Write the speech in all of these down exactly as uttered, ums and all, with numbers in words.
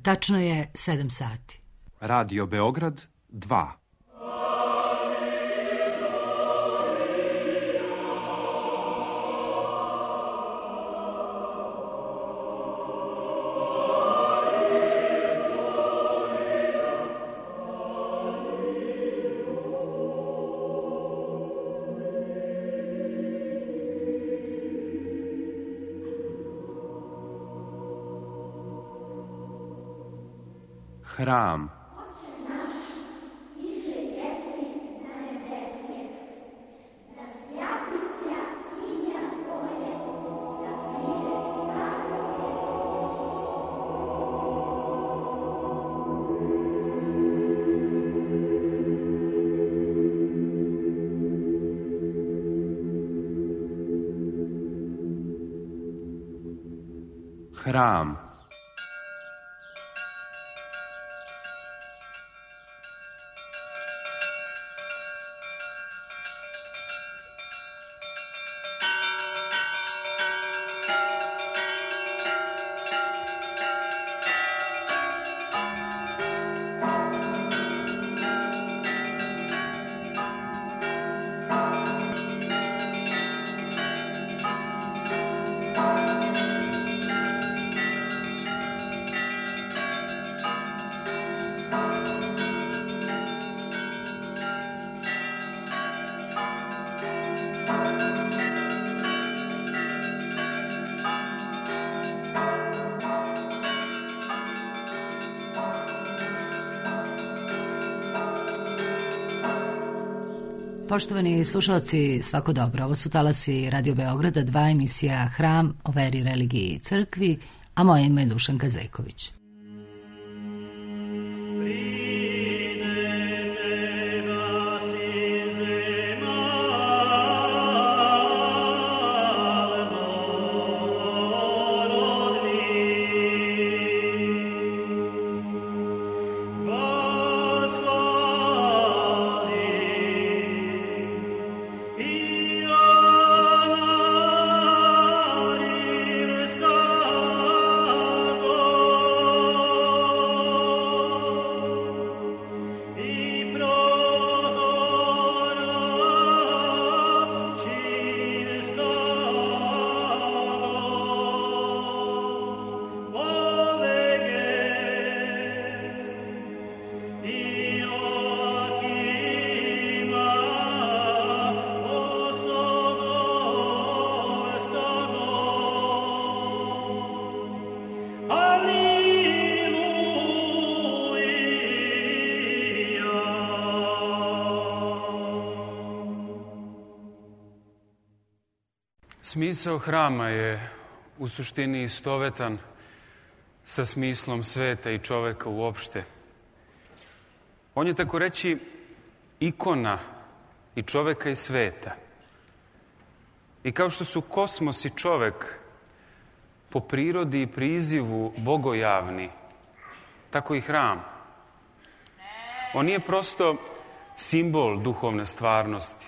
Tačno je sedam sati. Radio Beograd dva. Hram. Hram. Poštovani slušalci, svako dobro. Ovo su talasi Radio Beograda, dva, emisija Hram o veri, religiji i crkvi, a moje ime je Dušanka Zejković. Smisao hrama je u suštini istovetan sa smislom sveta i čoveka uopšte. On je, tako reći, ikona i čoveka i sveta. I kao što su kosmos i čovek po prirodi i prizivu bogojavni, tako i hram. On nije prosto simbol duhovne stvarnosti.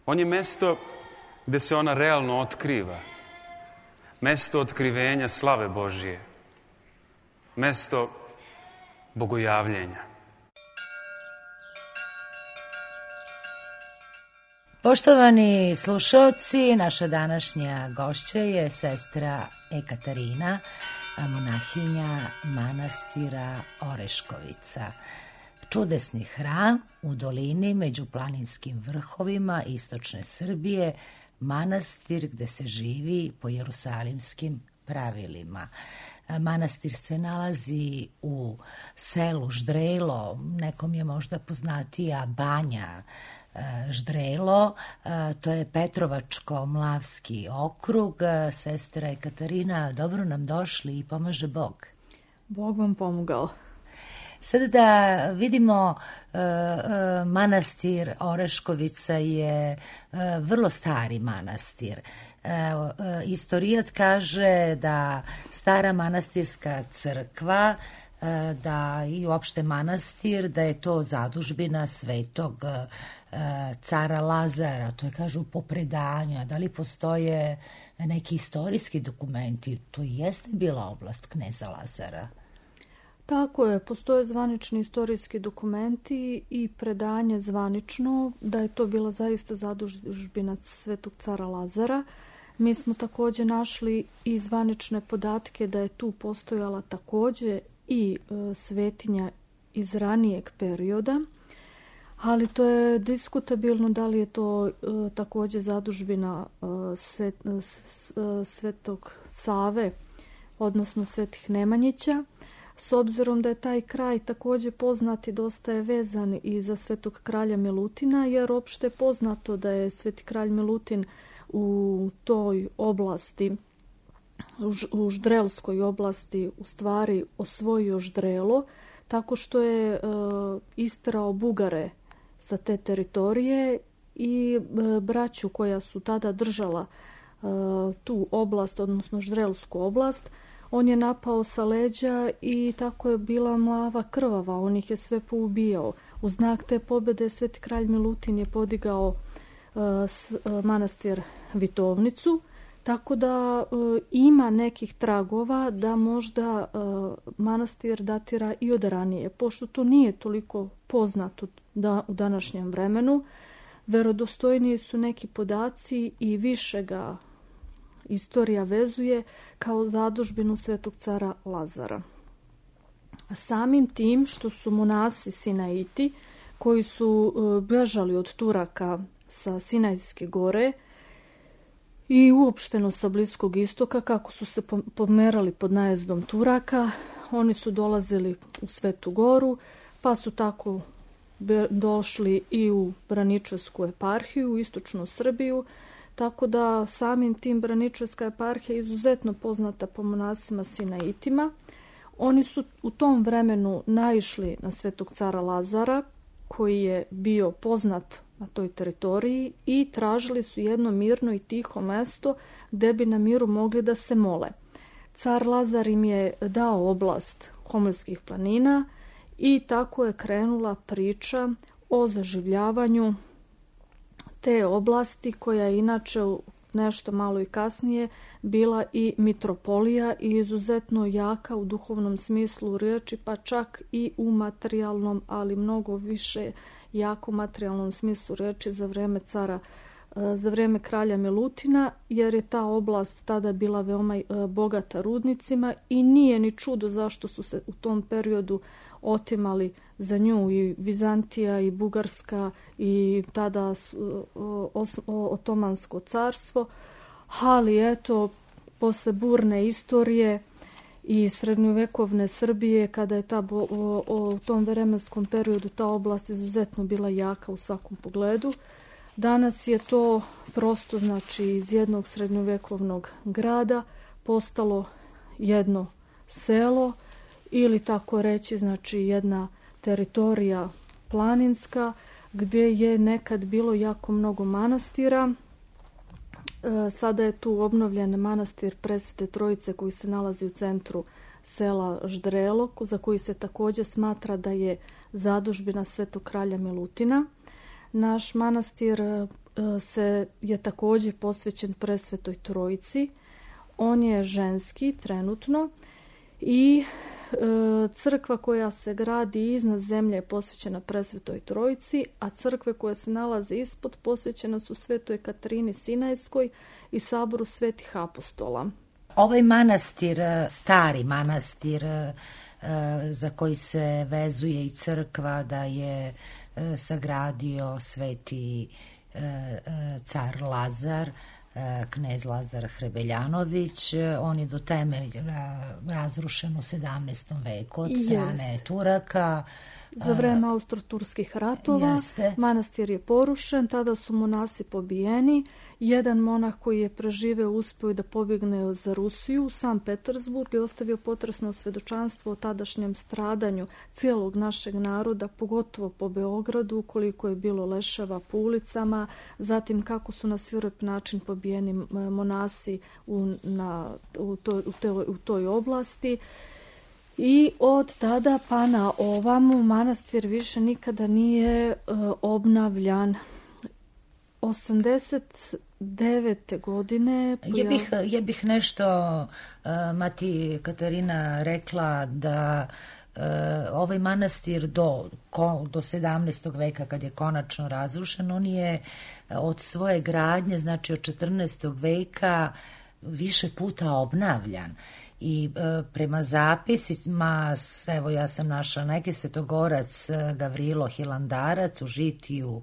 On je mesto gde se ona realno otkriva. Mesto otkrivenja slave Božije. Mesto bogojavljenja. Poštovani slušalci, naša današnja gošća je sestra Ekaterina, monahinja manastira Oreškovica. Čudesni hram u dolini među planinskim vrhovima istočne Srbije, manastir gde se živi po jerusalimskim pravilima. Manastir se nalazi u selu Ždrelo, nekom je možda poznatija Banja Ždrelo, to je Petrovačko-Mlavski okrug. Sestra Ekaterina, dobro nam došli i pomaže Bog. Bog vam pomogao. Sada da vidimo, manastir Oreškovica je vrlo stari manastir. Istorijat kaže da stara manastirska crkva, da i uopšte manastir, da je to zadužbina svetog cara Lazara, to je, kažu, po predanju. Da li postoje neki istorijski dokumenti? To i jeste bila oblast kneza Lazara. Tako je, postoje zvanični istorijski dokumenti i predanje zvanično da je to bila zaista zadužbina Svetog cara Lazara. Mi smo također našli i zvanične podatke da je tu postojala također i e, svetinja iz ranijeg perioda, ali to je diskutabilno da li je to e, također zadužbina e, svet, e, Svetog Save, odnosno Svetih Nemanjića. S obzirom da je taj kraj također poznat i dosta je vezan i za Svetog kralja Milutina, jer opšte je poznato da je Sveti kralj Milutin u toj oblasti, u Ždrelskoj oblasti, u stvari osvojio Ždrelo, tako što je e, isterao Bugare sa te teritorije i e, braću koja su tada držala e, tu oblast, odnosno Ždrelsku oblast, on je napao sa leđa i tako je bila mlava krvava, on ih je sve poubijao. U znak te pobjede Sveti kralj Milutin je podigao uh, s, uh, manastir Vitovnicu, tako da uh, ima nekih tragova da možda uh, manastir datira i od ranije. Pošto to nije toliko poznato da, u današnjem vremenu, verodostojniji su neki podaci i više ga istorija vezuje kao zadužbinu Svetog cara Lazara. A samim tim što su monasi Sinaiti, koji su bežali od Turaka sa Sinajske gore i uopšteno sa Bliskog istoka, kako su se pomerali pod najezdom Turaka, oni su dolazili u Svetu goru, pa su tako došli i u Braničevsku eparhiju, u istočnu Srbiju, tako da samim tim Braničevska eparhija je izuzetno poznata po monasima Sinaitima. Oni su u tom vremenu naišli na Svetog cara Lazara, koji je bio poznat na toj teritoriji, i tražili su jedno mirno i tiho mesto gde bi na miru mogli da se mole. Car Lazar im je dao oblast Homoljskih planina i tako je krenula priča o zaživljavanju te oblasti, koja je inače nešto malo i kasnije bila i mitropolija i izuzetno jaka u duhovnom smislu riječi, pa čak i u materijalnom, ali mnogo više jako materijalnom smislu riječi za vrijeme cara, za vrijeme kralja Milutina, jer je ta oblast tada bila veoma bogata rudnicima i nije ni čudo zašto su se u tom periodu otimali za nju i Vizantija i Bugarska i tada Otomansko carstvo, ali eto, posle burne istorije i srednjovekovne Srbije, kada je ta, o, o, u tom vremenskom periodu ta oblast izuzetno bila jaka u svakom pogledu, danas je to prosto, znači, iz jednog srednjovekovnog grada postalo jedno selo, ili tako reći, znači jedna teritorija planinska gdje je nekad bilo jako mnogo manastira. E, sada je tu obnovljen manastir Presvete Trojice koji se nalazi u centru sela Ždrelo, za koji se također smatra da je zadužbina Svetog kralja Milutina. Naš manastir e, se je također posvećen Presvetoj Trojici. On je ženski trenutno i crkva koja se gradi iznad zemlje je posvećena Presvetoj Trojici, a crkve koje se nalaze ispod posvećene su Svetoj Katarini Sinajskoj i saboru Svetih apostola. Ovaj manastir, stari manastir za koji se vezuje i crkva da je sagradio Sveti car Lazar, knez Lazar Hrebeljanović, on je do temelja razrušen u sedamnaestom veku od strane Turaka. Za vreme austro-turskih ratova Jeste. Manastir je porušen, tada su monasi pobijeni. Jedan monah koji je preživeo uspio da pobjegne za Rusiju u San Petersburg i ostavio potresno svjedočanstvo o tadašnjem stradanju cijelog našeg naroda, pogotovo po Beogradu, koliko je bilo leševa po ulicama, zatim kako su na svirep način pobijeni monasi u, na, u, toj, u, toj, u toj oblasti. I od tada pa na ovamu manastir više nikada nije uh, obnavljan. osamdeset devete godine... Je bih, je bih nešto, uh, Mati Katarina, rekla da ovaj manastir do, do sedamnaestog veka kad je konačno razrušen, on je od svoje gradnje, znači od četrnaestog veka više puta obnavljan. I e, prema zapisima, evo ja sam našla neki, svetogorac Gavrilo Hilandarac u žitiju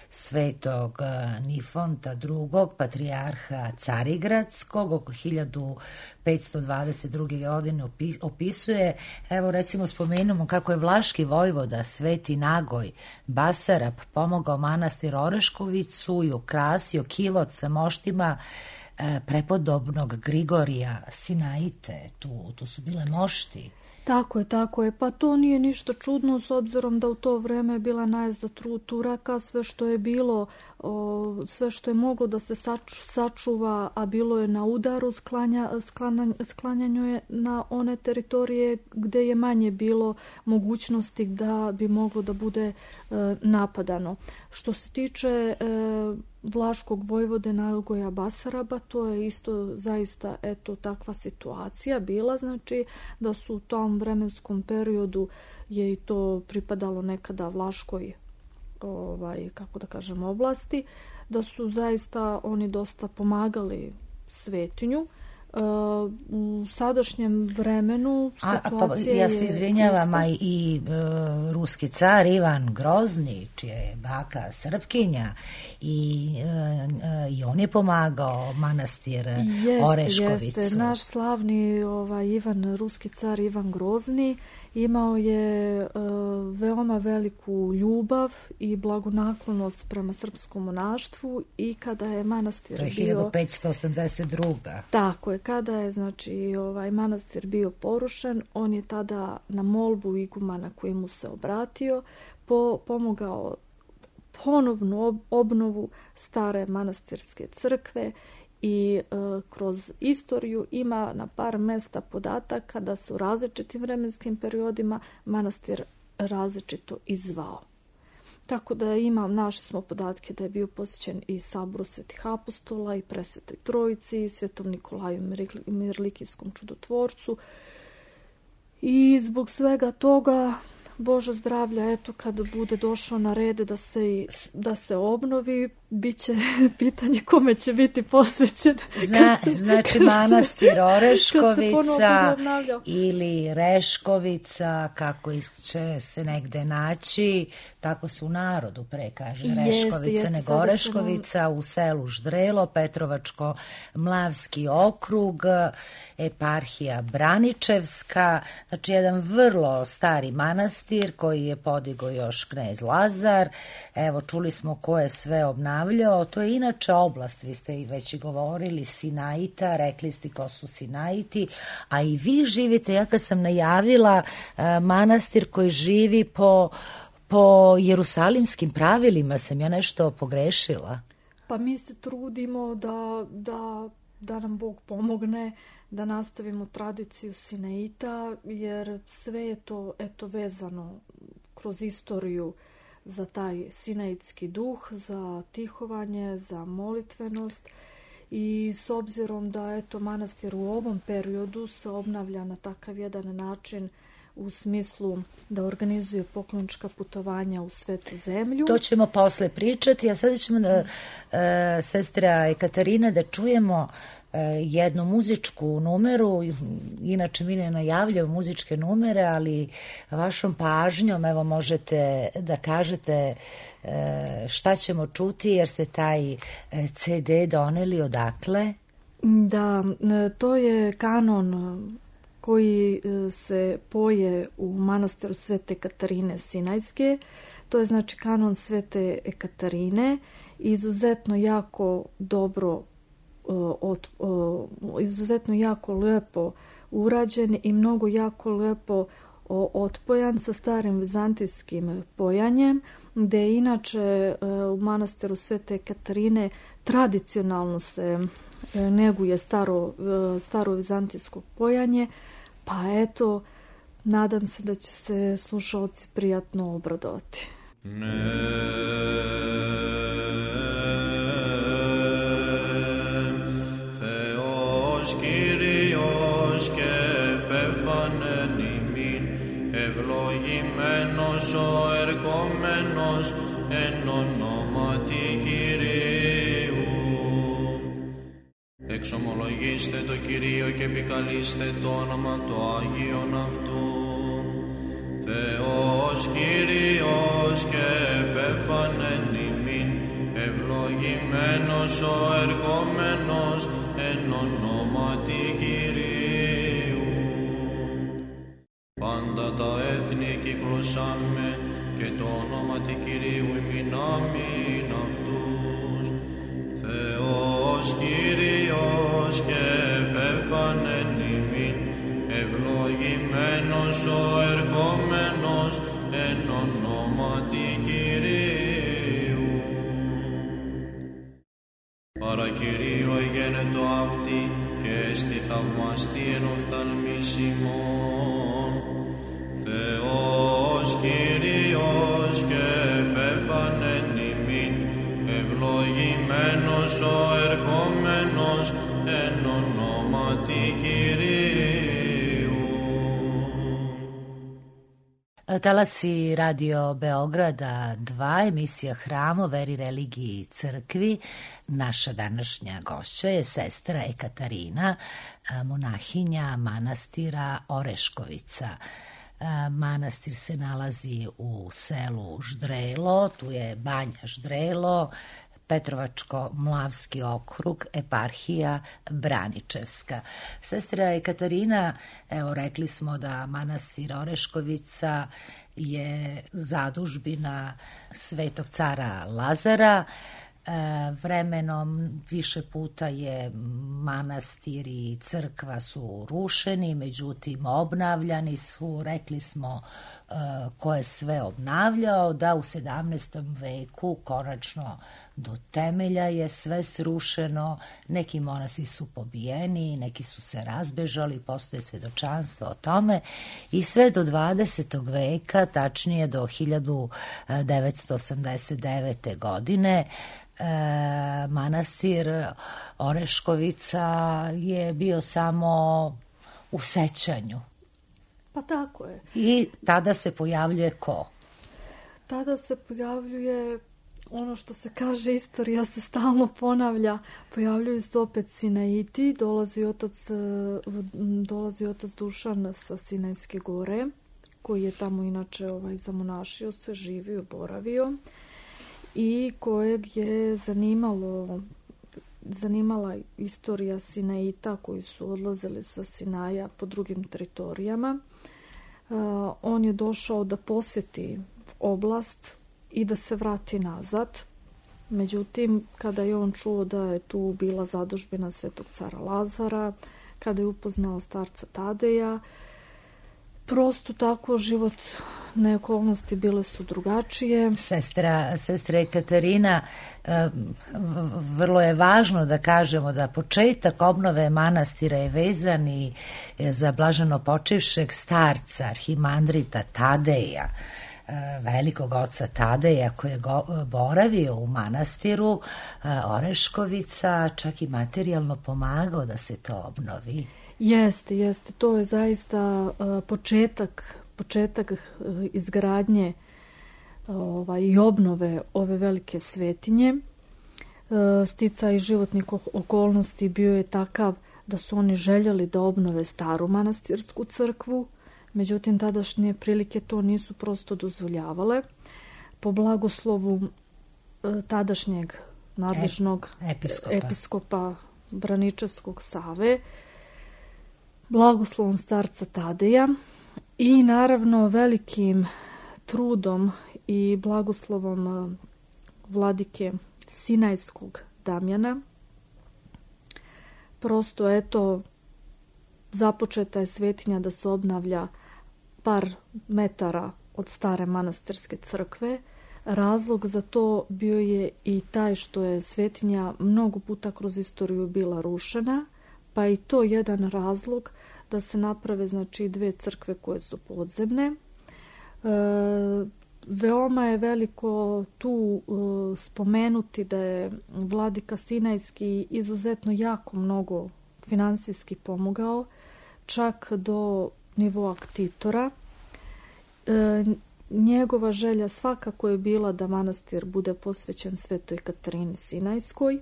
svetog Nifonta drugog, patrijarha Carigradskog, oko hiljadu petsto dvadeset druge. godine opisuje, evo recimo spomenemo kako je vlaški vojvoda Sveti Nagoj Basarab pomogao manastir Oreškovicu i ukrasio kivot sa moštima prepodobnog Grigorija Sinaite, tu, tu su bile mošti. Tako je, tako je. Pa to nije ništa čudno s obzirom da u to vreme je bila najezda Turaka, sve što je bilo, o, sve što je moglo da se saču, sačuva, a bilo je na udaru, sklanja, sklanja, sklanjanju je na one teritorije gde je manje bilo mogućnosti da bi moglo da bude e, napadano. Što se tiče e, vlaškog vojvode Nagoja Basaraba, to je isto zaista eto takva situacija bila, znači da su u tom vremenskom periodu je i to pripadalo nekada vlaškoj ovaj, kako da kažem, oblasti, da su zaista oni dosta pomagali svetinju. U sadašnjem vremenu situacija je... Ja se izvinjavam, a i, i e, ruski car Ivan Grozni, čija je baka Srpkinja, i, e, i on je pomagao manastir jest, Oreškovicu. Jeste, naš slavni ovaj, Ivan, ruski car Ivan Grozni imao je e, veoma veliku ljubav i blagonaklonost prema srpskom monaštvu i kada je manastir bio... hiljadu petsto osamdeset druga. Tako je, kada je znači ovaj manastir bio porušen, on je tada na molbu igumana koji mu se obratio po, pomogao ponovnu obnovu stare manastirske crkve i e, kroz istoriju ima na par mesta podataka da su različitim vremenskim periodima manastir različito izvao. Tako da imam, našli smo podatke da je bio posjećen i saboru Svetih apostola i Presvetoj Trojici, i Svetom Nikolaju Mirlikijskom čudotvorcu. I zbog svega toga, Bože zdravlja, eto kad bude došao na rede da se, da se obnovi, bit će pitanje kome će biti posvećen. Zna, se, znači manastir Oreškovica ili Reškovica, kako će se negde naći, tako se u narodu pre kaže Reškovica, jeste, nego Oreškovica, nam... u selu Ždrelo, Petrovačko-Mlavski okrug, eparhija Braničevska, znači jedan vrlo stari manastir koji je podigao još knez Lazar. Evo, čuli smo ko je sve obnavljao. To je inače oblast, vi ste i već govorili, Sinaita, rekli ste ko su Sinaiti, a i vi živite, ja kad sam najavila manastir koji živi po, po jerusalimskim pravilima, sam ja nešto pogrešila? Pa mi se trudimo da, da, da nam Bog pomogne da nastavimo tradiciju Sinaita, jer sve je to eto vezano kroz istoriju za taj sinaitski duh, za tihovanje, za molitvenost i s obzirom da eto manastir u ovom periodu se obnavlja na takav jedan način u smislu da organizuje poklonička putovanja u svetu zemlju. To ćemo posle pričati, a sada ćemo da, e, sestra Ekaterina, da čujemo e, jednu muzičku numeru. Inače mi ne najavljamo muzičke numere, ali vašom pažnjom evo možete da kažete e, šta ćemo čuti, jer ste taj ce de doneli odakle? Da, to je kanon koji se poje u manastiru Svete Katarine Sinajske. To je znači kanon Svete Katarine, izuzetno jako dobro, od, izuzetno jako lepo urađen i mnogo jako lepo otpojan sa starim vizantijskim pojanjem, gde inače u manastiru Svete Katarine tradicionalno se neguje staro, staro vizantijsko pojanje, pa eto, nadam se da će se slušalci prijatno obradovati. Ne. Θεός Κύριος και πεφανεν ημίν ευλογημένος ο ερχόμενος εν ονόματι Κυρίου. Εξομολογήστε το Κυρίο και επικαλείστε το όνομα το Άγιον αυτού. Θεός Κύριος και επέφανεν ημίν, ευλογημένος ο ερχόμενος εν ονόματι Κυρίου. Πάντα τα έθνη κυκλωσάμε και το όνοματι Κυρίου ημινάμιν αυτούς. Θεός Κύριος και επέφανεν ημίν, ευλογημένος ο ερχόμενος εν ονόματι Κυρίου. Παρακυρίο εγένετο αυτή και στη θαυμαστή εν οφθαλμής ημών. Θεός Κύριος και επέφανεν ημίν, ευλογημένος ο ερχόμενος εν ονόματι Κυρίου. Talasi Radio Beograda dva, emisija Hram o veri, religiji i crkvi. Naša današnja gošća je sestra Ekaterina, monahinja manastira Oreškovica. Manastir se nalazi u selu Ždrelo, tu je Banja Ždrelo, Petrovačko-Mlavski okrug, eparhija Braničevska. Sestra Ekaterina, evo rekli smo da manastir Oreškovica je zadužbina Svetog cara Lazara. Vremenom više puta je manastir i crkva su rušeni, međutim obnavljani su, rekli smo ko je sve obnavljao, da u sedamnaestom veku konačno do temelja je sve srušeno, neki monasi su pobijeni, neki su se razbežali, postoje svedočanstva o tome i sve do dvadesetog veka, tačnije do hiljadu devetsto osamdeset devete. godine, E, manastir Oreškovica je bio samo u sećanju. Pa tako je. I tada se pojavljuje ko? Tada se pojavljuje ono što se kaže, istorija se stalno ponavlja, pojavljuju se opet Sinaiti, dolazi otac, dolazi otac Dušan sa Sinajske gore, koji je tamo inače ovaj, zamonašio se, živio, boravio, i kojeg je zanimalo, zanimala istorija Sinaita koji su odlazili sa Sinaja po drugim teritorijama. Uh, on je došao da posjeti oblast i da se vrati nazad. Međutim, kada je on čuo da je tu bila zadužbina Svetog cara Lazara, kada je upoznao starca Tadeja, prosto tako životne okolnosti bile su drugačije. Sestra, sestra Ekaterina, vrlo je važno da kažemo da početak obnove manastira je vezan i za blaženo počivšeg starca, arhimandrita Tadeja, velikog oca Tadeja, koji je boravio u manastiru Oreškovica, čak i materijalno pomagao da se to obnovi. Jeste, jeste. To je zaista uh, početak, početak uh, izgradnje uh, ovaj, i obnove ove velike svetinje. Uh, sticaj životnih okolnosti bio je takav da su oni željeli da obnove staru manastirsku crkvu, međutim tadašnje prilike to nisu prosto dozvoljavale. Po blagoslovu uh, tadašnjeg nadležnog episkopa, episkopa Braničevskog Save, blagoslovom starca Tadeja i naravno velikim trudom i blagoslovom vladike Sinajskog Damjana. Prosto eto, započeta je svetinja da se obnavlja par metara od stare manastirske crkve. Razlog za to bio je i taj što je svetinja mnogo puta kroz istoriju bila rušena, pa i to jedan razlog da se naprave znači dve crkve koje su podzemne. E, veoma je veliko tu e, spomenuti da je vladika Sinajski izuzetno jako mnogo finansijski pomogao, čak do nivoa ktitora. e, njegova želja svakako je bila da manastir bude posvećen Svetoj Katarini Sinajskoj,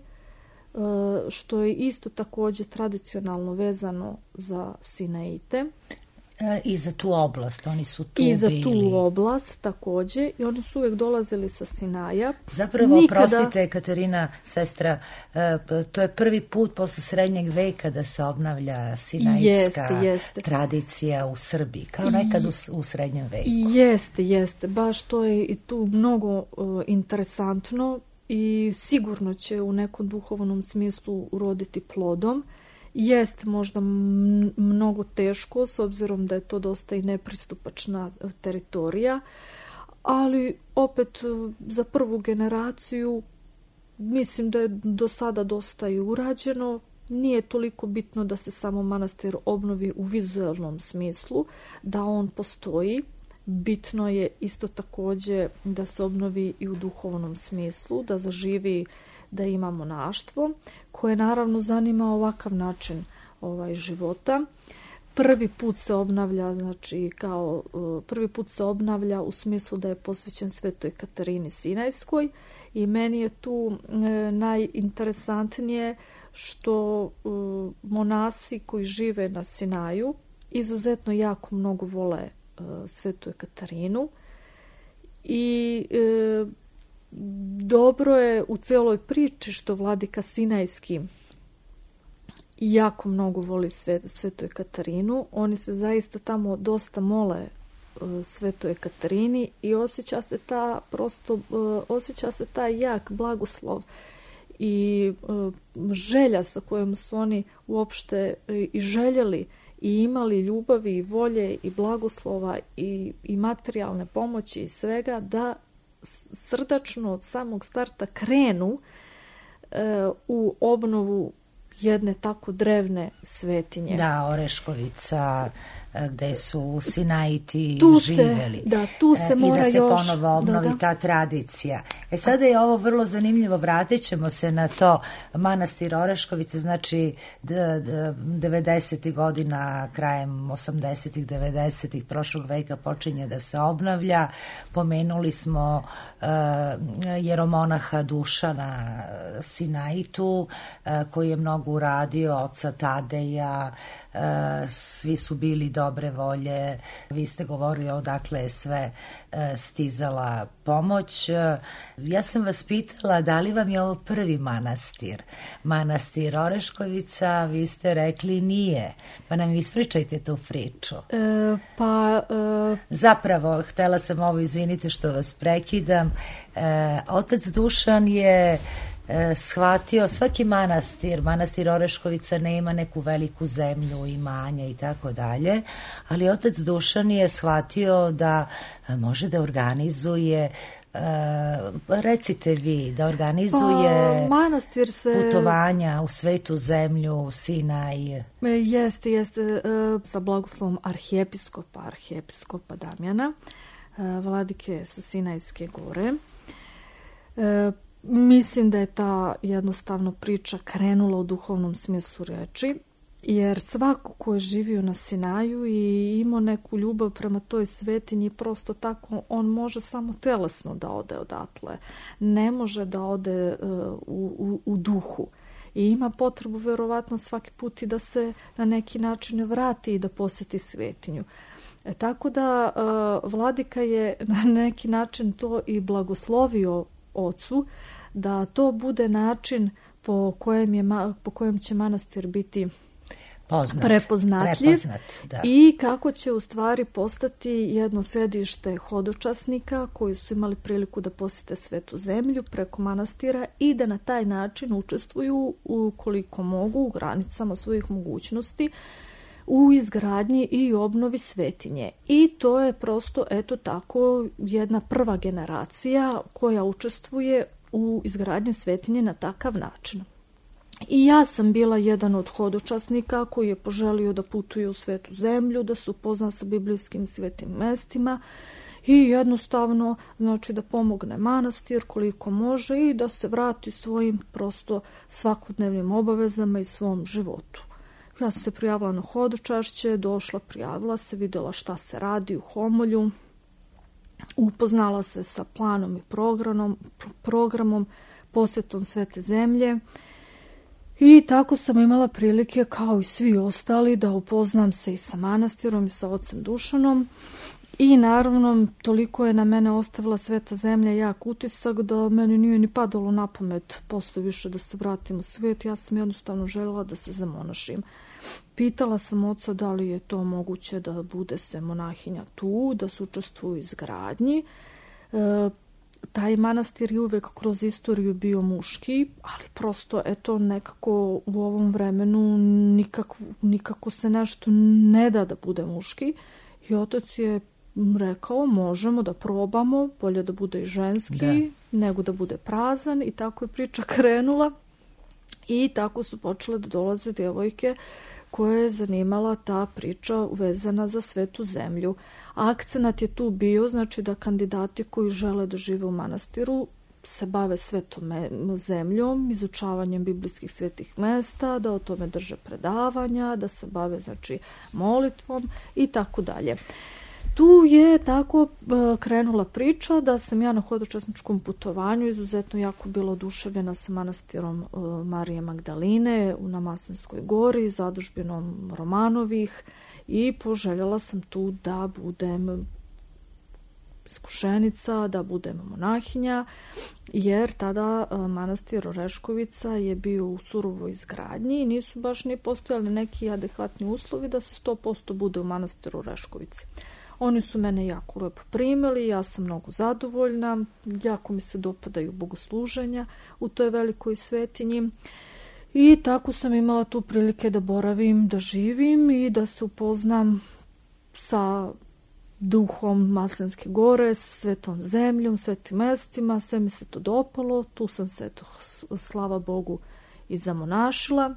što je isto također tradicionalno vezano za Sinaite. I za tu oblast, oni su tu I za bili. tu oblast također, i oni su uvijek dolazili sa Sinaja. Zapravo, Nikada... prostite, Katarina, sestra, to je prvi put posle srednjeg veka da se obnavlja sinaitska jeste, jeste. tradicija u Srbiji, kao nekad u, u srednjem veku. Jeste, jeste, baš to je i tu mnogo uh, interesantno i sigurno će u nekom duhovnom smislu uroditi plodom. Jest možda mnogo teško, s obzirom da je to dosta i nepristupačna teritorija, ali opet za prvu generaciju mislim da je do sada dosta i urađeno. Nije toliko bitno da se samo manastir obnovi u vizualnom smislu, da on postoji. Bitno je isto također da se obnovi i u duhovnom smislu, da zaživi, da ima monaštvo, koje naravno zanima ovakav način ovaj, života. Prvi put se obnavlja, znači kao prvi put se obnavlja u smislu da je posvećen Svetoj Katarini Sinajskoj i meni je tu e, najinteresantnije što e, monasi koji žive na Sinaju izuzetno jako mnogo vole e, Svetu Katarinu i e, dobro je u cijeloj priči što vladika Sinajski jako mnogo voli Svet, Svetoj Katarinu. Oni se zaista tamo dosta mole uh, Svetoj Katarini i osjeća se ta prosto, uh, osjeća se taj jak blagoslov i uh, želja sa kojom su oni uopšte uh, i željeli i imali ljubavi i volje i blagoslova i, i materijalne pomoći i svega da srdačno od samog starta krenu e, u obnovu jedne tako drevne svetinje. Da, Oreškovica, gde su Sinaiti tu živeli. Se, da, tu se mora I da se još, ponovo obnovi da, da. ta tradicija. E sada je ovo vrlo zanimljivo, vratit ćemo se na to. Manastir Oreškovica, znači devedesetih godina, krajem osamdesetih, devedesetih prošlog veka počinje da se obnavlja. Pomenuli smo uh, jeromonaha Dušana Sinaitu, uh, koji je mnogo uradio, oca Tadeja, uh, svi su bili dobre volje. Vi ste govorili odakle je sve uh, stizala pomoć. Uh, ja sam vas pitala da li vam je ovo prvi manastir. Manastir Oreškovica, vi ste rekli nije. Pa nam ispričajte tu priču. E, pa... E... Zapravo, htela sam ovo, izvinite što vas prekidam, e, otac Dušan je e, shvatio, svaki manastir, manastir Oreškovica nema neku veliku zemlju, imanja i tako dalje, ali otac Dušan je shvatio da može da organizuje Uh, recite vi, da organizuje pa, manastir se... putovanja u svetu zemlju, Sinaj. Jeste, jeste, sa blagoslovom arhijepiskopa, arhijepiskopa Damjana, vladike sa Sinajske gore. Mislim da je ta jednostavno priča krenula u duhovnom smislu reči, jer svako ko je živio na Sinaju i imao neku ljubav prema toj svetinji, prosto tako on može samo telesno da ode odatle. Ne može da ode uh, u, u, u duhu. I ima potrebu verovatno svaki put i da se na neki način vrati i da posjeti svetinju. E, tako da uh, vladika je na neki način to i blagoslovio ocu, da to bude način po kojem, je, po kojem će manastir biti Poznat, prepoznatljiv prepoznat, da. I kako će u stvari postati jedno sedište hodočasnika koji su imali priliku da posjete Svetu zemlju preko manastira i da na taj način učestvuju ukoliko mogu u granicama svojih mogućnosti u izgradnji i obnovi svetinje. I to je prosto eto tako jedna prva generacija koja učestvuje u izgradnji svetinje na takav način. I ja sam bila jedan od hodočasnika koji je poželio da putuje u Svetu zemlju, da se upozna sa biblijskim svetim mestima i jednostavno znači da pomogne manastir koliko može i da se vrati svojim prosto svakodnevnim obavezama i svom životu. Ja sam se prijavila na hodočašće, došla, prijavila se, vidjela šta se radi u Homolju upoznala se sa planom i programom, programom posjetom Svete zemlje i tako sam imala prilike kao i svi ostali da upoznam se i sa manastirom i sa ocem Dušanom. I naravno, toliko je na mene ostavila Sveta zemlja jak utisak da meni nije ni padalo na pamet posle više da se vratim u svet. Ja sam jednostavno željela da se zamonašim. Pitala sam oca da li je to moguće da bude se monahinja tu, da se učestvuju u izgradnji. E, taj manastir je uvek kroz istoriju bio muški, ali prosto eto nekako u ovom vremenu nikako, nikako se nešto ne da da bude muški. I otac je rekao možemo da probamo, bolje da bude i ženski da. nego da bude prazan i tako je priča krenula i tako su počele da dolaze djevojke koje je zanimala ta priča uvezana za Svetu zemlju. Akcenat je tu bio znači da kandidati koji žele da žive u manastiru se bave Svetom zemljom, izučavanjem biblijskih svetih mesta, da o tome drže predavanja, da se bave znači molitvom i tako dalje. Tu je tako krenula priča da sam ja na hodočasničkom putovanju izuzetno jako bila oduševljena sa manastirom Marije Magdaline na Maslinskoj gori, zadužbinom Romanovih i poželjela sam tu da budem iskušenica, da budem monahinja, jer tada manastir Oreškovica je bio u surovoj izgradnji i nisu baš ni postojali neki adekvatni uslovi da se sto posto bude u manastiru Oreškovici. Oni su mene jako lepo primili, ja sam mnogo zadovoljna, jako mi se dopadaju bogosluženja u toj velikoj svetinji i tako sam imala tu prilike da boravim, da živim i da se upoznam sa duhom Maslinske gore, sa Svetom zemljom, svetim mestima, sve mi se to dopalo, tu sam se, eto, slava Bogu, i zamonašila.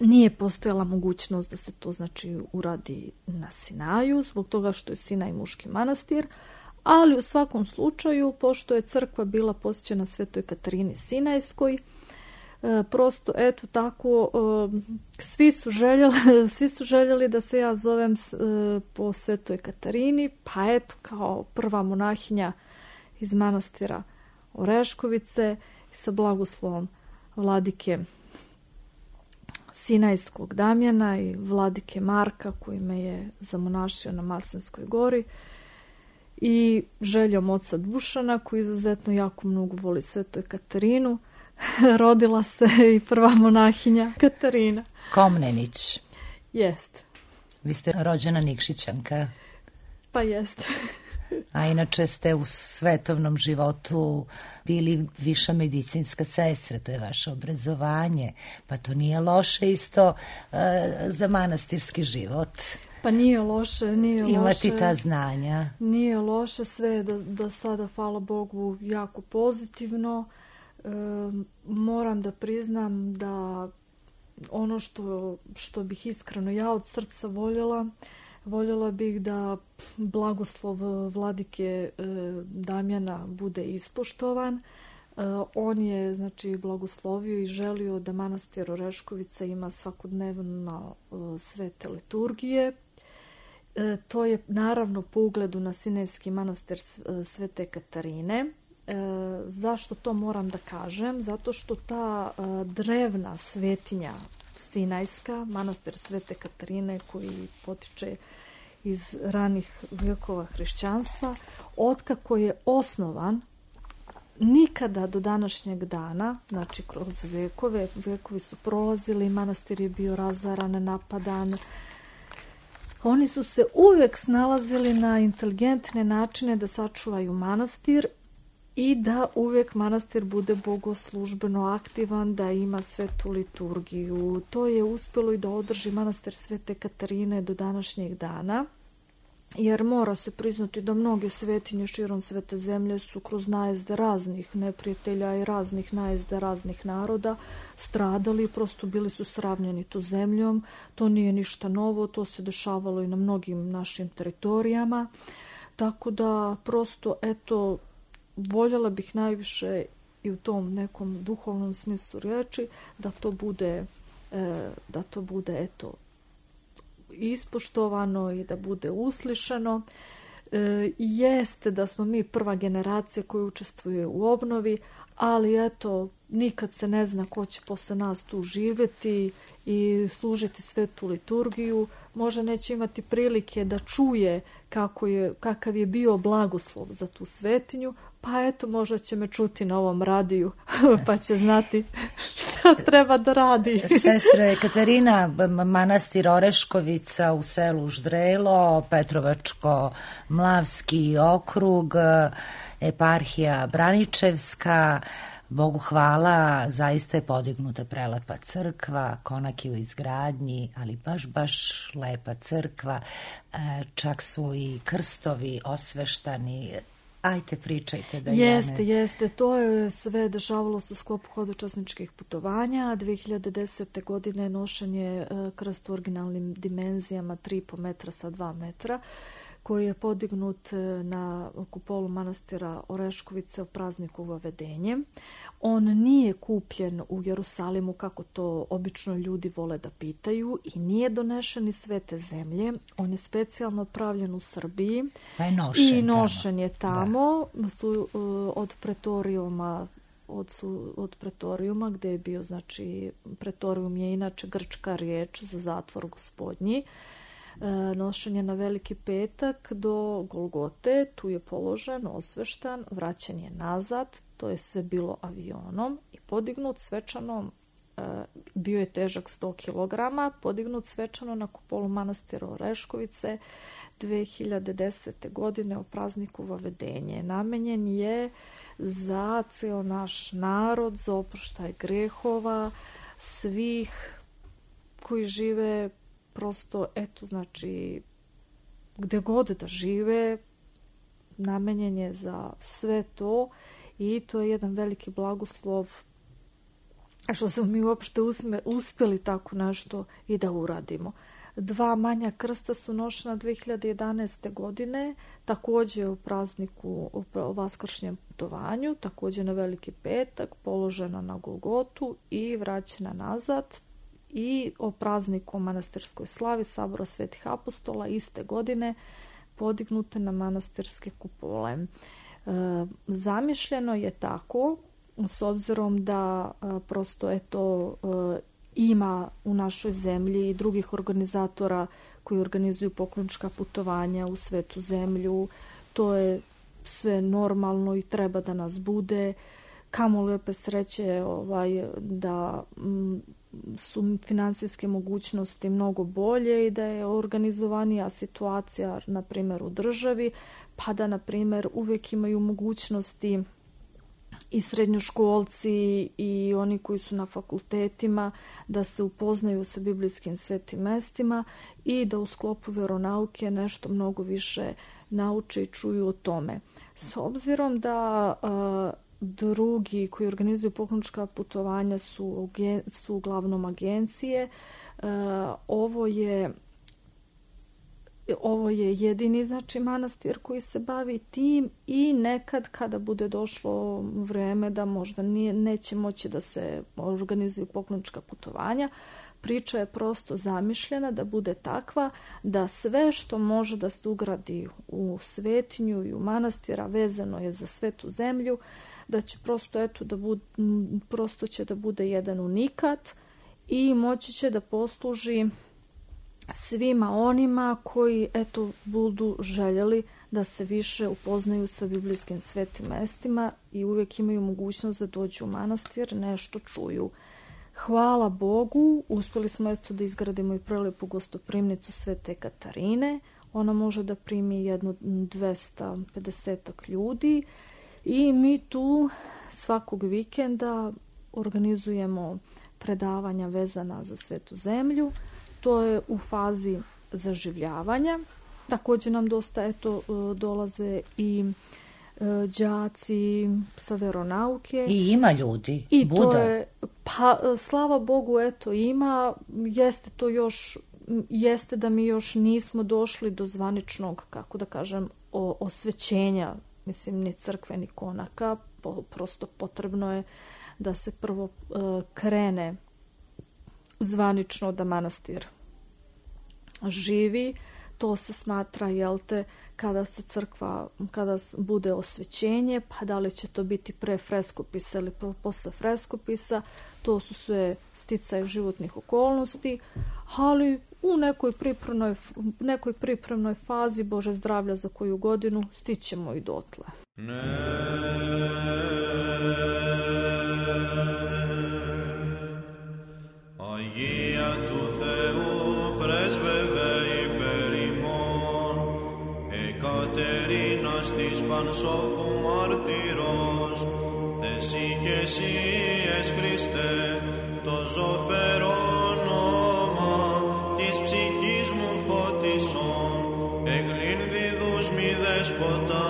Nije postojala mogućnost da se to znači uradi na Sinaju, zbog toga što je Sinaj muški manastir, ali u svakom slučaju, pošto je crkva bila posvećena Svetoj Katarini Sinajskoj, e, prosto eto tako, e, svi su željeli, svi su željeli da se ja zovem e, po Svetoj Katarini, pa eto kao prva monahinja iz manastira Oreškovice sa blagoslovom vladike Sinajskog Damjana i vladike Marka koji me je zamonašio na Maslinskoj gori i željom oca Dušana koji izuzetno jako mnogo voli Svetu Katarinu rodila se i prva monahinja Katarina Komnenić. Jest. Vi ste rođena Nikšićanka. Pa jest. A inače ste u svetovnom životu bili viša medicinska sestra, to je vaše obrazovanje, pa to nije loše isto uh, za manastirski život. Pa nije loše, nije loše. Imati ta znanja. Nije loše, sve je do, do sada, hvala Bogu, jako pozitivno. E, moram da priznam da ono što, što bih iskreno ja od srca voljela, voljela bih da blagoslov vladike e, Damjana bude ispoštovan. E, on je znači blagoslovio i želio da manastir Oreškovica ima svakodnevno e, svete liturgije. E, to je naravno po ugledu na Sinajski manastir Svete Katarine. E, zašto to moram da kažem? Zato što ta e, drevna svetinja Sinajska, manastir Svete Katarine koji potiče iz ranih vekova hrišćanstva, otkako je osnovan, nikada do današnjeg dana, znači kroz vekove, vekovi su prolazili, manastir je bio razaran, napadan. Oni su se uvek snalazili na inteligentne načine da sačuvaju manastir i da uvijek manastir bude bogoslužbeno aktivan, da ima svetu liturgiju. To je uspjelo i da održi manastir Svete Katarine do današnjeg dana, jer mora se priznati da mnoge svetinje širom Svete zemlje su kroz najezde raznih neprijatelja i raznih najezde raznih naroda stradali, prosto bili su sravnjeni tu zemljom. To nije ništa novo, to se dešavalo i na mnogim našim teritorijama. Tako da prosto, eto, voljela bih najviše i u tom nekom duhovnom smislu riječi da to bude, e, da to bude eto ispoštovano i da bude uslišano. E, jeste da smo mi prva generacija koja učestvuje u obnovi, ali eto, nikad se ne zna ko će posle nas tu živjeti i služiti svetu liturgiju. Možda neće imati prilike da čuje kako je, kakav je bio blagoslov za tu svetinju, pa eto, možda će me čuti na ovom radiju, pa će znati šta treba da radi. Sestra Ekaterina, manastir Oreškovica u selu Ždrelo, Petrovačko-Mlavski okrug, eparhija Braničevska, Bogu hvala, zaista je podignuta prelepa crkva, konak je u izgradnji, ali baš, baš lepa crkva, čak su i krstovi osveštani. Ajte, pričajte da jeste, ja ne... Jeste, to je sve dešavalo se u sklopu hodočasničkih putovanja. dve hiljade desete. godine nošen je krst u originalnim dimenzijama tri i po metra sa dva metra, koji je podignut na kupolu manastira Oreškovice u prazniku Vavedenje. On nije kupljen u Jerusalimu, kako to obično ljudi vole da pitaju, i nije donešen iz Svete zemlje. On je specijalno pravljen u Srbiji pa je nošen i nošen tamo. je tamo. Da. Su, od pretorijuma Od, su, od pretorijuma, gde je bio, znači, pretorijum je inače grčka riječ za zatvor gospodnji. Nošen je na Veliki petak do Golgote, tu je položen, osveštan, vraćen je nazad, to je sve bilo avionom i podignut svečano, bio je težak sto kilograma, podignut svečano na kupolu manastira Oreškovice dve hiljade desete. godine o prazniku Vavedenje. Namenjen je za ceo naš narod, za oproštaj grehova, svih koji žive prosto, eto, znači, gde god da žive, namenjen je za sve to i to je jedan veliki blagoslov što smo mi uopšte usme, uspjeli tako nešto i da uradimo. Dva manja krsta su nošena dve hiljade jedanaeste. godine, također u prazniku, u vaskršnjem putovanju, također na Veliki petak, položena na Golgotu i vraćena nazad. I o prazniku manastirskoj slavi Sabora Svetih apostola iste godine podignute na manastirske kupole. E, zamišljeno je tako, s obzirom da e, prosto eto, e, ima u našoj zemlji i drugih organizatora koji organizuju poklonička putovanja u Svetu zemlju. To je sve normalno i treba da nas bude. Kamo lepe sreće ovaj, da m, su finansijske mogućnosti mnogo bolje i da je organizovanija situacija, na primjer, u državi, pa da, na primjer, uvijek imaju mogućnosti i srednjoškolci i oni koji su na fakultetima da se upoznaju sa biblijskim svetim mestima i da u sklopu veronauke nešto mnogo više nauče i čuju o tome. S obzirom da uh, drugi koji organizuju poklonička putovanja su, su uglavnom agencije, uh, ovo je Ovo je jedini, znači, manastir koji se bavi tim i nekad kada bude došlo vreme da možda nije, neće moći da se organizuju poklonička putovanja, priča je prosto zamišljena da bude takva da sve što može da se ugradi u svetinju i u manastira vezano je za Svetu zemlju, da će prosto, eto, da bude, prosto će da bude jedan unikat i moći će da posluži svima onima koji, eto, budu željeli da se više upoznaju sa biblijskim svetim mestima i uvijek imaju mogućnost da dođu u manastir, nešto čuju. Hvala Bogu, uspjeli smo eto da izgradimo i prelepu gostoprimnicu Svete Katarine. Ona može da primi jedno dvesta pedeset ljudi i mi tu svakog vikenda organizujemo predavanja vezana za Svetu zemlju. To je u fazi zaživljavanja. Također nam dosta eto dolaze i đaci sa veronauke. I ima ljudi. I bude. To je, pa slava Bogu, eto ima. Jeste to još, jeste da mi još nismo došli do zvaničnog, kako da kažem, o, osvećenja, mislim, ni crkve, ni konaka. Po, prosto potrebno je da se prvo uh, krene zvanično da manastir živi. to se smatra, jel te, kada se crkva, kada bude osvećenje, pa da li će to biti pre freskopisa ili posle freskopisa, to su sve sticaje životnih okolnosti, ali u nekoj pripremnoj, nekoj pripremnoj fazi, Bože zdravlja za koju godinu, stićemo i dotle. Ne. Αγία του Θεού πρέσβευε υπέρ ημών, Εκατερίνας της Πανσόφου μαρτυρός, τες ηγεσίες Χριστέ, το ζωφερόν όνομα της ψυχής μου φωτισών, εγλύνδιδους μη δέσποτα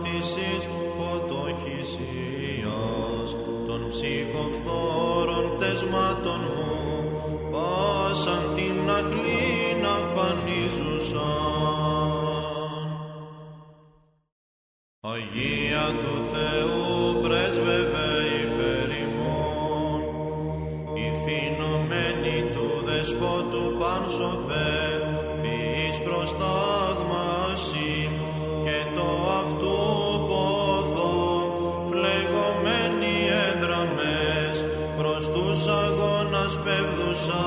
της εις φωτοχυσίας, των ψυχοφθόρων τεσμάτων μου, πάσαν την ακλίνα φανίζουσαν. Αγία του Θεού πρέσβευε υπέρ ημών, ηθινωμένη του δεσπότου Πανσοφέ, Θεής προστάγμαση και το αυτού πόθο, φλεγωμένοι έδραμες, προς τους αγώνας πεύδουσα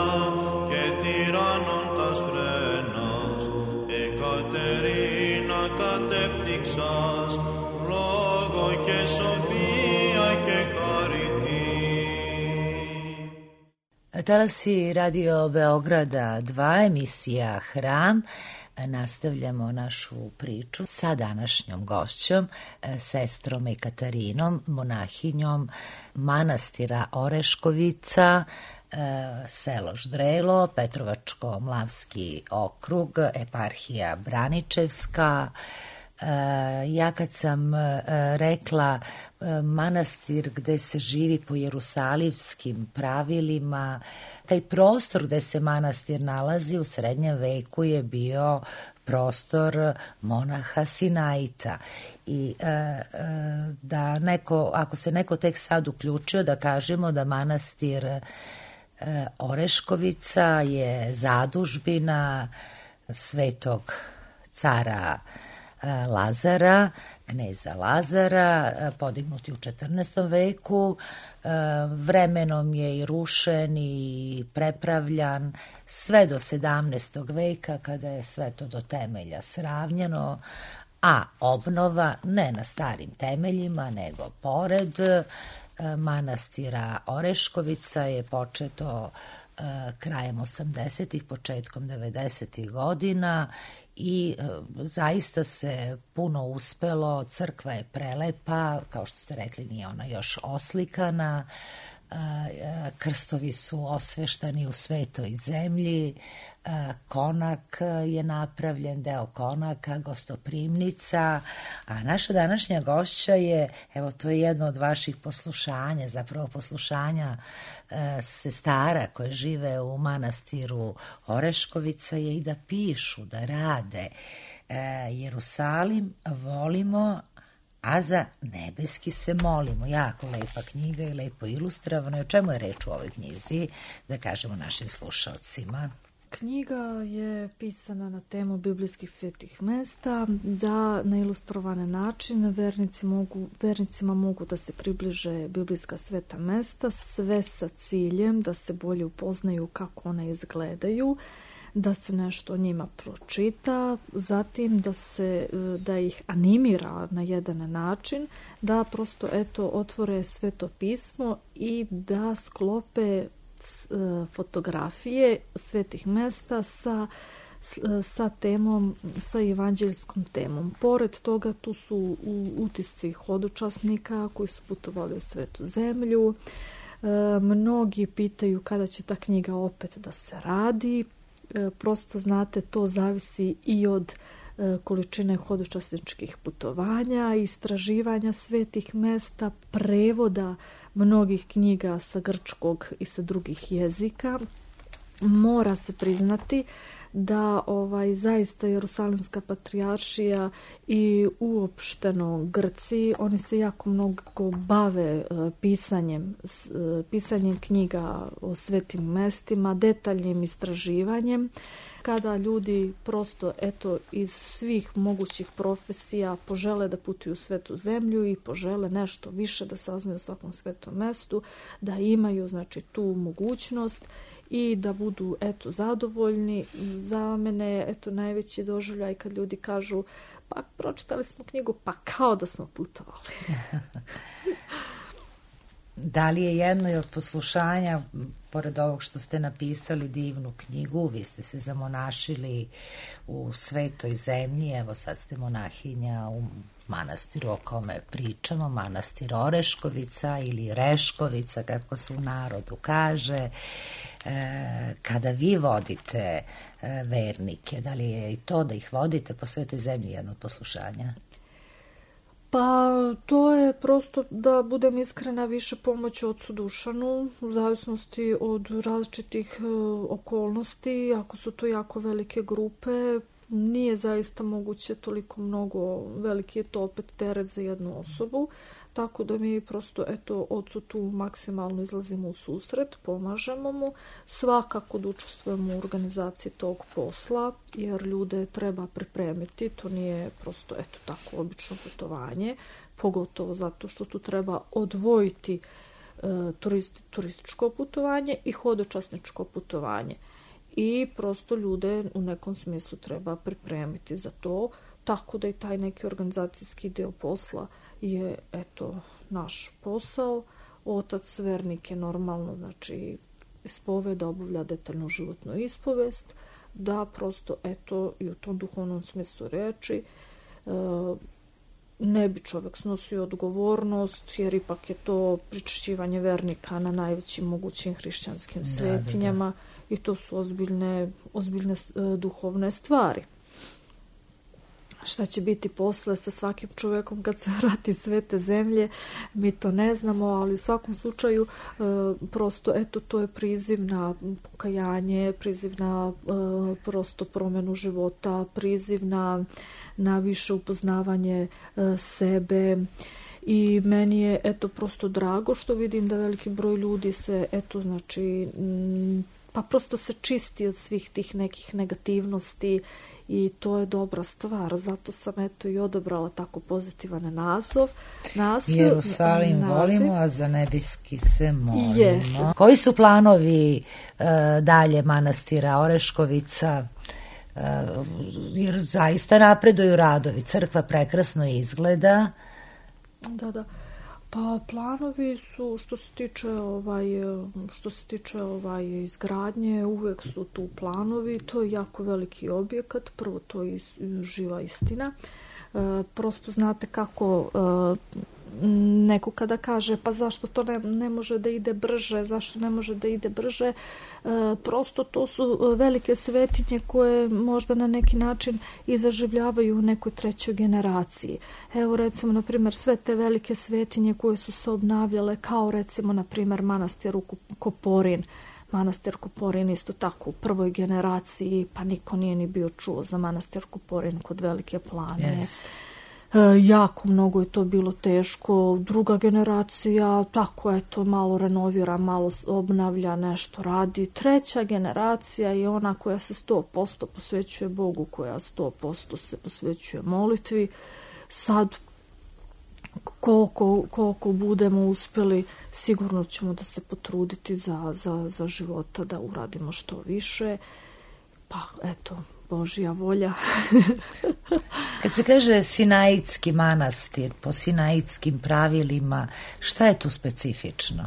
και τυράννων τας πρένας, Εκατερίνα κατέπτυξας, λόγο και σοφία και χαριτή. Talasi Radio Beograda dva, emisija Hram. Nastavljamo našu priču sa današnjom gošćom, sestrom Ekatarinom, monahinjom manastira Oreškovica, selo Ždrelo, Petrovačko-Mlavski okrug, eparhija Braničevska. Ja kad sam rekla manastir gde se živi po jerusalimskim pravilima, taj prostor gde se manastir nalazi u srednjem veku je bio prostor monaha Sinaita. I da neko, ako se neko tek sad uključio, da kažemo da manastir Oreškovica je zadužbina svetog cara Lazara, kneza Lazara, podignuti u četrnaestom veku. Vremenom je i rušen i prepravljan sve do sedamnaestog veka, kada je sve to do temelja sravnjeno, a obnova ne na starim temeljima, nego pored manastira Oreškovica je početo krajem osamdesetih, početkom devedesetih godina i zaista se puno uspelo, crkva je prelepa, kao što ste rekli nije ona još oslikana, krstovi su osveštani u svetoj zemlji, konak je napravljen, deo konaka, gostoprimnica, a naša današnja gošća je, evo to je jedno od vaših poslušanja, zapravo poslušanja sestara koje žive u manastiru Oreškovica je i da pišu, da rade. Jerusalim volimo, a za nebeski se molimo. Jako lepa knjiga i lepo ilustrovano. O čemu je reč u ovoj knjizi, da kažemo našim slušalcima? Knjiga je pisana na temu biblijskih svetih mesta, da na ilustrovane načine vernici mogu, vernicima mogu da se približe biblijska sveta mesta, sve sa ciljem da se bolje upoznaju kako ona izgledaju, da se nešto o njima pročita, zatim da se da ih animira na jedan način, da prosto eto otvore sveto pismo i da sklope fotografije svetih mesta sa, sa temom, sa evanđeljskom temom. Pored toga tu su utisci hodočasnika koji su putovali u svetu zemlju. E, mnogi pitaju kada će ta knjiga opet da se radi. E, prosto znate, to zavisi i od e, količine hodočasničkih putovanja, istraživanja svetih mesta, prevoda mnogih knjiga sa grčkog i sa drugih jezika. Mora se priznati da ovaj zaista Jerusalimska patrijaršija i uopšteno Grci, oni se jako mnogo bave uh, pisanjem, uh, pisanjem knjiga o svetim mestima, detaljnim istraživanjem. kada ljudi prosto eto iz svih mogućih profesija požele da putuju u svetu zemlju i požele nešto više da saznaju o svakom svetom mestu, da imaju znači tu mogućnost i da budu eto zadovoljni. Za mene eto najveći doživljaj kad ljudi kažu pa pročitali smo knjigu, pa kao da smo putovali. Da li je jedno od poslušanja, pored ovog što ste napisali divnu knjigu, vi ste se zamonašili u svetoj zemlji, evo sad ste monahinja u manastiru o kome pričamo, manastir Oreškovica ili Reškovica, kako se u narodu kaže. E, kada vi vodite e, vernike, da li je i to da ih vodite po svetoj zemlji jedno od poslušanja? Pa to je prosto, da budem iskrena, više pomoć ocu Dušanu, u zavisnosti od različitih e, okolnosti. Ako su to jako velike grupe, nije zaista moguće toliko mnogo, veliki je to opet teret za jednu osobu, tako da mi prosto eto ocu tu maksimalno izlazimo u susret, pomažemo mu, svakako da učestvujemo u organizaciji tog posla, jer ljude treba pripremiti, to nije prosto eto tako obično putovanje, pogotovo zato što tu treba odvojiti e, turisti, turističko putovanje i hodočasničko putovanje. I prosto ljude u nekom smislu treba pripremiti za to, tako da i taj neki organizacijski deo posla je eto naš posao. Otac vernik je normalno, znači ispoveda, obavlja detaljnu životnu ispovest, da prosto eto i u tom duhovnom smislu reči e, ne bi čovjek snosio odgovornost, jer ipak je to pričešćivanje vernika na najvećim mogućim hrišćanskim svetinjama. Da, da, da. I to su ozbiljne, ozbiljne uh, duhovne stvari. Šta će biti posle sa svakim čovjekom kad se vrati iz svete zemlje, mi to ne znamo, ali u svakom slučaju uh, prosto eto to je priziv na pokajanje, priziv na uh, prosto promjenu života, priziv na, na više upoznavanje uh, sebe. I meni je eto prosto drago što vidim da veliki broj ljudi se eto znači m, pa prosto se čisti od svih tih nekih negativnosti i to je dobra stvar. Zato sam eto i odabrala tako pozitivan naziv. naziv Jerusalim naziv. Volimo, a za nebeski se molimo. Jeste. Koji su planovi uh, dalje manastira Oreškovica? Uh, jer zaista napreduju radovi. Crkva prekrasno izgleda. Da, da. Pa planovi su što se tiče ovaj što se tiče ovaj izgradnje, uvek su tu planovi, to je jako veliki objekat, prvo to je živa istina. E, prosto znate kako e, neko kada kaže pa zašto to ne, ne može da ide brže, zašto ne može da ide brže, e, prosto to su velike svetinje koje možda na neki način i zaživljavaju u nekoj trećoj generaciji. Evo recimo na primjer sve te velike svetinje koje su se obnavljale, kao recimo na primjer manastir Koporin. Manastir Koporin isto tako u prvoj generaciji, pa niko nije ni bio čuo za manastir Koporin kod Velike Plane. Yes. E, jako mnogo je to bilo teško. Druga generacija tako eto malo renovira, malo obnavlja, nešto radi. Treća generacija je ona koja se sto posto posvećuje Bogu, koja sto posto se posvećuje molitvi. Sad koliko, koliko budemo uspjeli, sigurno ćemo da se potruditi za, za, za života da uradimo što više. Pa eto, Božja volja. Kad se kaže Sinaitski manastir, po sinaitskim pravilima, šta je tu specifično?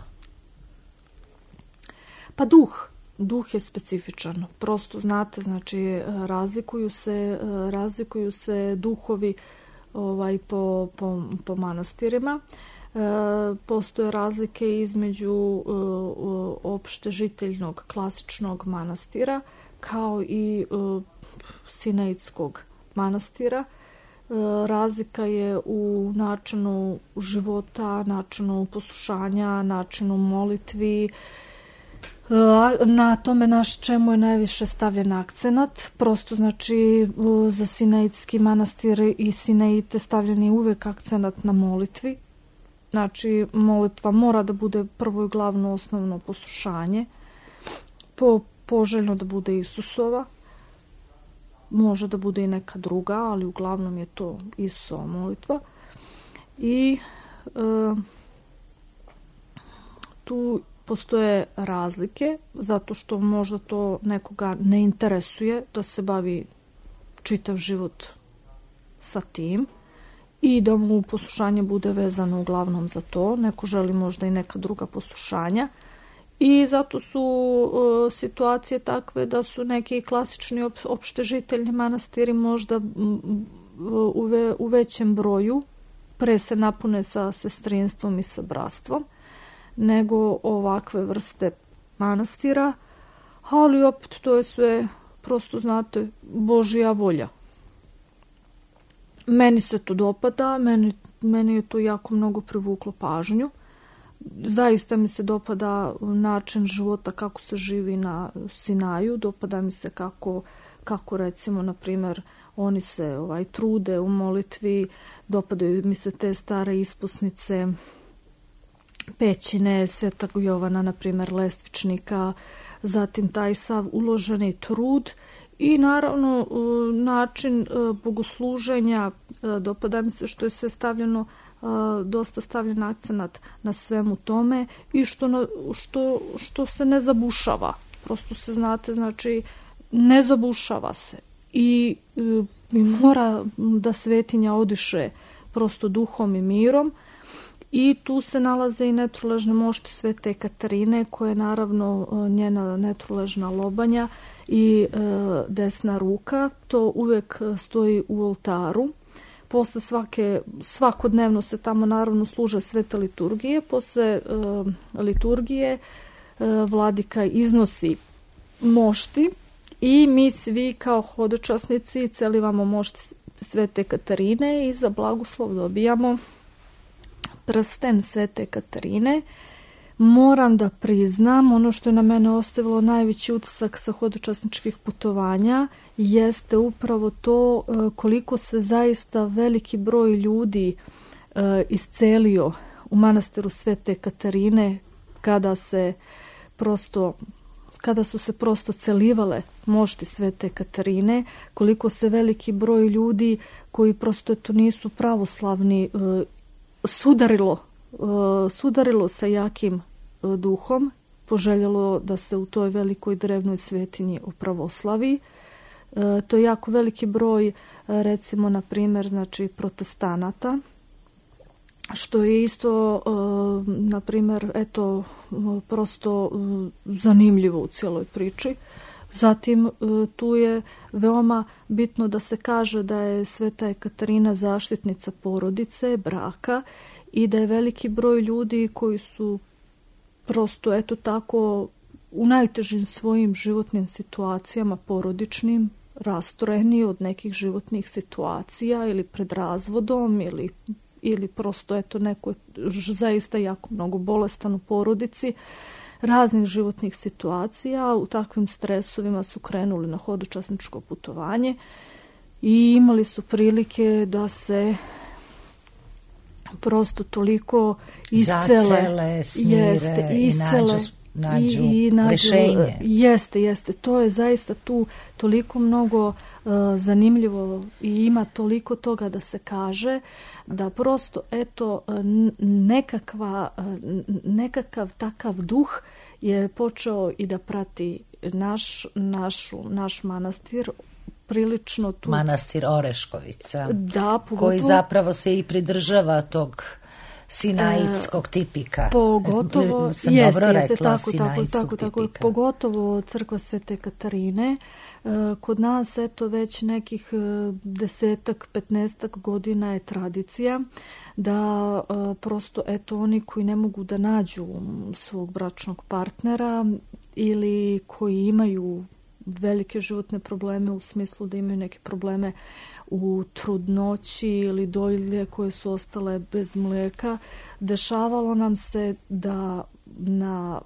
Pa duh. Duh je specifičan. Prosto znate, znači razlikuju se, razlikuju se duhovi ovaj, po, po, po manastirima. E, postoje razlike između e, opšte žiteljnog klasičnog manastira kao i e, Sinaitskog manastira. E, razlika je u načinu života, načinu poslušanja, načinu molitvi. Na tome naš čemu je najviše stavljen akcenat. Prosto znači za Sinaitski manastir i Sinaite stavljen je uvek akcenat na molitvi. Znači molitva mora da bude prvo i glavno osnovno poslušanje. Po, poželjno da bude Isusova. može da bude i neka druga, ali uglavnom je to Isusova molitva. I e, tu postoje razlike, zato što možda to nekoga ne interesuje da se bavi čitav život sa tim i da mu poslušanje bude vezano uglavnom za to. Neko želi možda i neka druga poslušanja. I zato su uh, situacije takve da su neki klasični op, opštežiteljni manastiri možda u, ve, u većem broju, pre se napune sa sestrinstvom i sa bratstvom, nego ovakve vrste manastira, ali opet to je sve, prosto znate, Božja volja. Meni se to dopada, meni, meni je to jako mnogo privuklo pažnju. Zaista mi se dopada način života kako se živi na Sinaju, dopada mi se kako, kako recimo, na primjer, oni se ovaj, trude u molitvi, dopadaju mi se te stare isposnice, pećine Svetog Jovana, na primjer, Lestvičnika, zatim taj sav uloženi trud i naravno način bogosluženja. Dopada mi se što je sve stavljeno, dosta stavljen akcenat na svemu tome i što, na, što, što se ne zabušava. Prosto se, znate, znači ne zabušava se i, i mora da svetinja odiše prosto duhom i mirom. I tu se nalaze i netruležne mošti Svete Katarine, koja je naravno njena netruležna lobanja i e, desna ruka. To uvek stoji u oltaru. Posle svake, svakodnevno se tamo naravno služe svete liturgije. Posle e, liturgije e, vladika iznosi mošti i mi svi kao hodočasnici celivamo mošti Svete Katarine i za blagoslov dobijamo prsten Svete Katarine. Moram da priznam, ono što je na mene ostavilo najveći utisak sa hodočasničkih putovanja jeste upravo to koliko se zaista veliki broj ljudi iscelio u manastiru Svete Katarine kada se prosto kada su se prosto celivale mošti Svete Katarine, koliko se veliki broj ljudi koji prosto to nisu pravoslavni sudarilo, sudarilo sa jakim duhom, poželjelo da se u toj velikoj drevnoj svetinji opravoslavi. To je jako veliki broj, recimo, na primjer, znači protestanata, što je isto, na primjer, eto, prosto zanimljivo u cijeloj priči. Zatim tu je veoma bitno da se kaže da je Sveta Katarina zaštitnica porodice, braka i da je veliki broj ljudi koji su prosto eto tako u najtežim svojim životnim situacijama porodičnim rastoreni od nekih životnih situacija ili pred razvodom ili, ili prosto eto neko zaista jako mnogo bolestan u porodici, raznih životnih situacija. U takvim stresovima su krenuli na hodočasničko putovanje i imali su prilike da se prosto toliko iscele, zacele, smire jeste, iscele, i nađu, nađu, i, i nađu rešenje. Jeste, jeste. To je zaista tu toliko mnogo uh, zanimljivo i ima toliko toga da se kaže da prosto eto nekakva, nekakav takav duh je počeo i da prati naš, našu, naš manastir prilično tu. Manastir Oreškovica, da, pogotovo, koji zapravo se i pridržava tog sinajskog tipika. Pogotovo, sam jeste, dobro jeste, rekla, tako, tako, tako, tako, pogotovo crkva Svete Katarine. Kod nas, eto, već nekih desetak, petnestak godina je tradicija da prosto, eto, oni koji ne mogu da nađu svog bračnog partnera ili koji imaju velike životne probleme u smislu da imaju neke probleme u trudnoći ili dojilje koje su ostale bez mlijeka, dešavalo nam se da na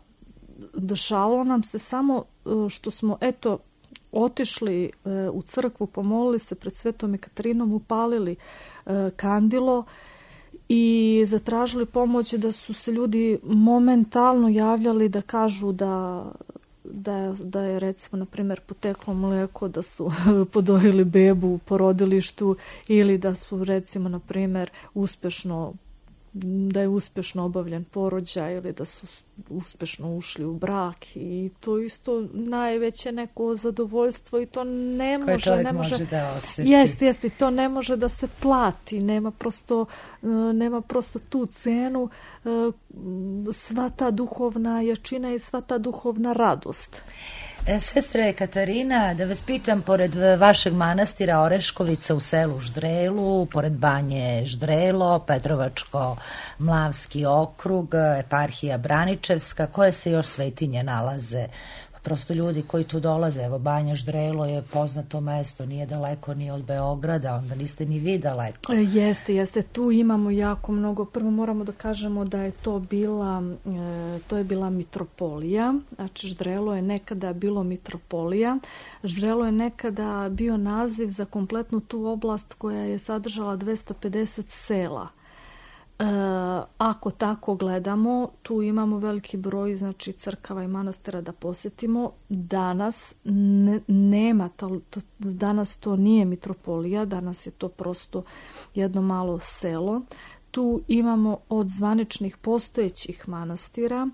dešavalo nam se samo što smo eto otišli e, u crkvu, pomolili se pred Svetom Katarinom, upalili e, kandilo i zatražili pomoć, da su se ljudi momentalno javljali da kažu da da, da je recimo na primjer poteklo mlijeko, da su podojili bebu u porodilištu ili da su recimo na primjer uspješno da je uspješno obavljen porođaj ili da su uspješno ušli u brak i to isto najveće neko zadovoljstvo i to ne koje može, čovjek ne može, može da osjeti. Jeste, jeste, to ne može da se plati, nema prosto, nema prosto tu cenu, sva ta duhovna jačina i sva ta duhovna radost. E, sestre Katarina, da vas pitam, pored vašeg manastira Oreškovica u selu Ždrelu, pored banje Ždrelo, Petrovačko-Mlavski okrug, eparhija Braničevska, koje se još svetinje nalaze? Prosto ljudi koji tu dolaze, evo Banja Ždrelo je poznato mesto, nije daleko ni od Beograda, onda niste ni vi daleko. Jeste, jeste, tu imamo jako mnogo. Prvo moramo da kažemo da je to bila, to je bila mitropolija, znači Ždrelo je nekada bilo mitropolija. Ždrelo je nekada bio naziv za kompletnu tu oblast koja je sadržala dvesta pedeset sela. E, ako tako gledamo, tu imamo veliki broj znači crkava i manastira da posjetimo. Danas ne, nema to, to, danas to nije mitropolija, danas je to prosto jedno malo selo. Tu imamo od zvaničnih postojećih manastira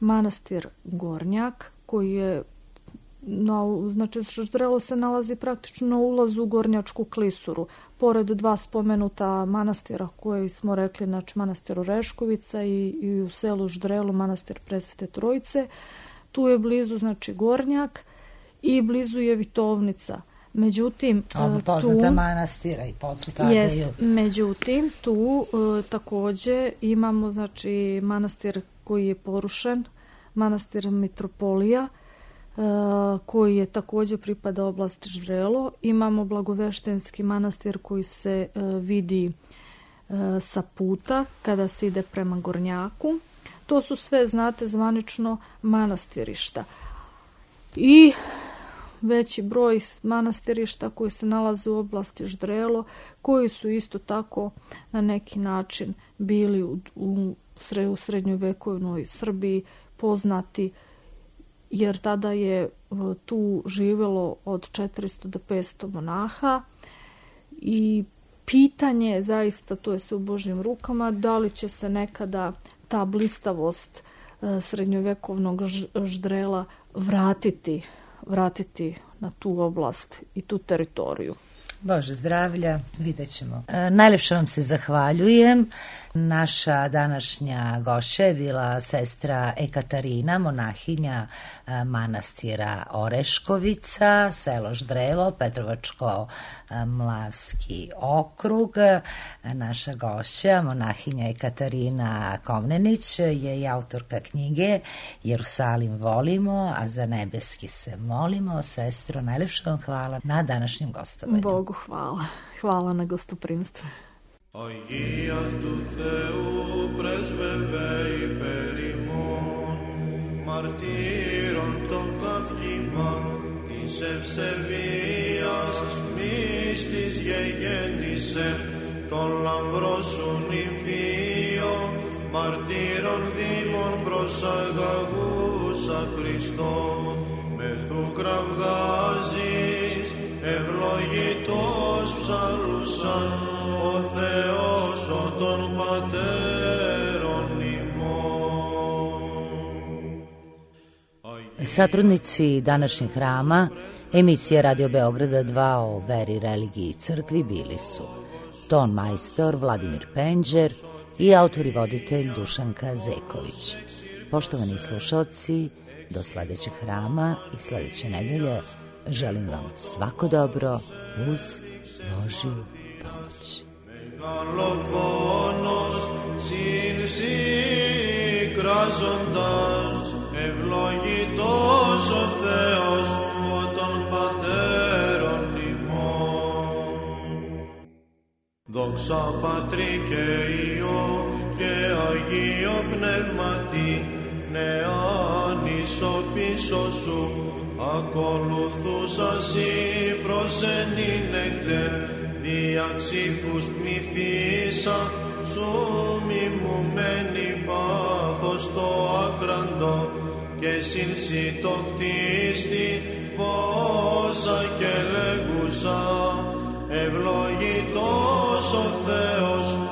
manastir Gornjak koji je No, znači, Ždrelo se nalazi praktično na ulazu u Gornjačku klisuru. Pored dva spomenuta manastira koje smo rekli, znači manastir Oreškovica i, i u selu Ždrelu manastir Presvete Trojice. Tu je blizu, znači, Gornjak i blizu je Vitovnica. Međutim, Oba poznata tu, manastira i Podsutade. Jest, međutim, tu e, također imamo, znači, manastir koji je porušen, manastir Mitropolija, koji je također pripada oblasti Ždrelo. Imamo Blagoveštenski manastir koji se vidi sa puta kada se ide prema Gornjaku. To su sve, znate, zvanično manastirišta. I veći broj manastirišta koji se nalaze u oblasti Ždrelo, koji su isto tako na neki način bili u, u, u srednjovekovnoj Srbiji poznati, jer tada je tu živjelo od četiristo do petsto monaha i pitanje je zaista, to je sve u Božjim rukama, da li će se nekada ta blistavost srednjovekovnog Ždrela vratiti, vratiti na tu oblast i tu teritoriju. Bože zdravlja, vidjet ćemo. E, najljepše vam se zahvaljujem. Naša današnja gošća je bila sestra Ekaterina, monahinja e, manastira Oreškovica, selo Ždrelo, Petrovačko-Mlavski okrug. E, naša gošća, monahinja Ekaterina Komnenić, je i autorka knjige Jerusalim volimo, a za nebeski se molimo. Sestro, najljepše vam hvala na današnjem gostovanju. Bogu hvala. Hvala na gostoprimstvu. Αγία του Θεού πρέσβευε υπέρ ημών, μαρτύρων το καύχημα της ευσεβίας μύστης γεγέννησε, τον λαμπρό σου νηφίο, μαρτύρων δήμων προσαγαγούσα Χριστόν, μεθού κραυγάζεις, ευλογητός ψαλούσαν, ο Θεός ο των πατέρων ημών. Satrudnici današnjeg hrama emisije Radio Beograda dva o veri, religiji i crkvi bili su ton majstor Vladimir Penđer i autor i voditelj Dušanka Zeković. Poštovani slušalci, do sljedećeg hrama i sljedeće nedelje želim vam svako dobro uz Božju pomoć. Μεγαλοφόνος συνσυκράζοντας, ευλογητός ο Θεός ο των πατέρων ημών. Δόξα Πατρί και Υιό και Αγίο Πνεύματι, νεάν ίσο πίσω σου, ακολουθούσα σοι προσενήνεκτε, δια ξύφους πνηθήσα, σου μιμουμένη πάθος το άχραντο, και σύνση το κτίστη πόσα και λέγουσα, ευλογητός ο Θεός